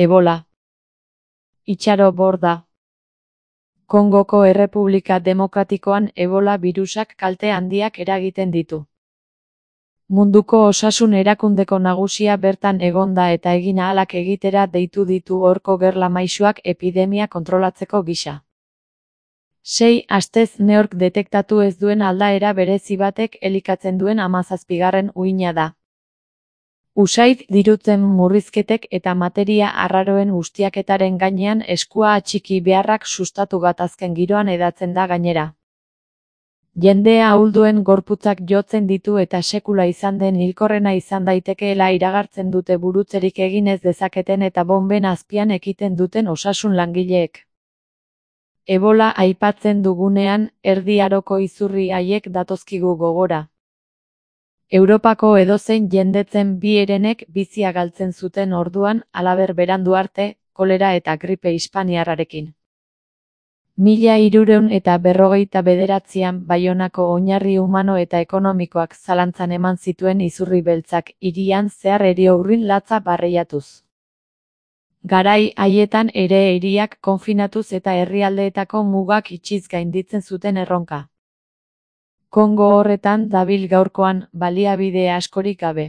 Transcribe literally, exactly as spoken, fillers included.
Ebola. Itxaro borda. Kongoko Errepublika Demokratikoan Ebola birusak kalte handiak eragiten ditu. Munduko Osasun Erakundeko nagusia bertan egonda eta egin ahalak egitera deitu ditu horko gerla maisuak epidemia kontrolatzeko gisa. Sei astez neork detektatu ez duen aldaera berezi batek elikatzen duen hamazazpigarren uina da. Usaid dirutzen murrizketek eta materia arraroen ustiaketaren gainean eskua atxiki beharrak sustatu gatazken giroan edatzen da gainera. Jendea ahulduen gorputzak jotzen ditu eta sekula izan den hilkorrena izan daitekeela iragartzen dute burutzerik egin ez dezaketen eta bonben azpian ekiten duten osasun langileek. Ebola aipatzen dugunean, Erdi Aroko izurri haiek datozkigu gogora. Europako edozein jendetzen bi herenek bizia galtzen zuten orduan, halaber berandu arte, kolera eta gripe hispaniarrarekin. Mila hirurehun eta berrogeita bederatzian Baionako oinarri humano eta ekonomikoak zalantzan eman zituen izurri beltzak hirian zehar eriurrin latza barreiatuz. Garai haietan ere hiriak konfinatuz eta herrialdeetako mugak itxiz gainditzen zuten erronka. Kongo horretan dabil gaurkoan, baliabide askorik gabe.